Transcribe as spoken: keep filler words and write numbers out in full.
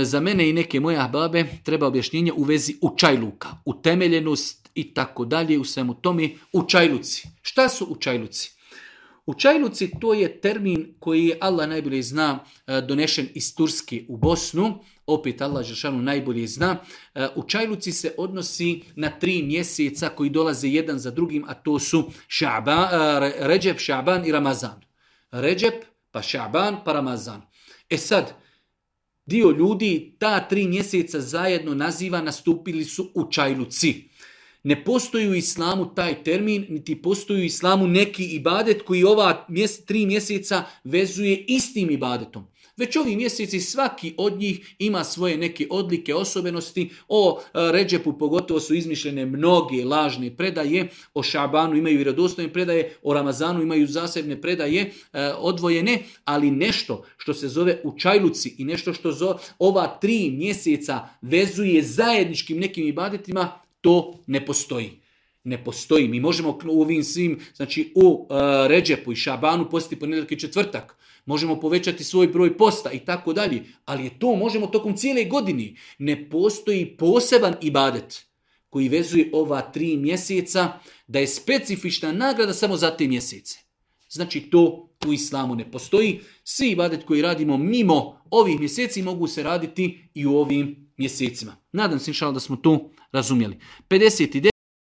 za mene i neke moje ahbabe treba objašnjenje u vezi učajluka, utemeljenost i tako dalje u svemu tome. Učajluci. Šta su učajluci? Učajluci to je termin koji je Allah najbolje zna donešen iz Turske u Bosnu. Opet Allah Žešanu najbolje zna. Učajluci se odnosi na tri mjeseca koji dolaze jedan za drugim, a to su Šaban, Ređep, Šaban i Ramazan. Ređep, pa Šaban, pa Ramazan. E sad, dio ljudi ta tri mjeseca zajedno naziva nastupili su učajluci. Ne postoji u islamu taj termin, niti postoji u islamu neki ibadet koji ova mjese, tri mjeseca vezuje istim ibadetom. Već ovi mjeseci svaki od njih ima svoje neke odlike, osobenosti. O Ređepu pogotovo su izmišljene mnoge lažne predaje, o Šabanu imaju vjerodostojne predaje, o Ramazanu imaju zasebne predaje e, odvojene, ali nešto što se zove učajluci i nešto što zove, ova tri mjeseca vezuje zajedničkim nekim ibadetima, to ne postoji. Ne postoji. Mi možemo u ovim svim, znači u uh, Ređepu i Šabanu postiti ponedjeljak i četvrtak. Možemo povećati svoj broj posta i tako dalje. Ali je to možemo tokom cijele godine. Ne postoji poseban ibadet koji vezuje ova tri mjeseca da je specifična nagrada samo za te mjesece. Znači to u islamu ne postoji. Svi ibadet koji radimo mimo ovih mjeseci mogu se raditi i u ovim mjesecima. Nadam se inšallah da smo to razumjeli. pedeset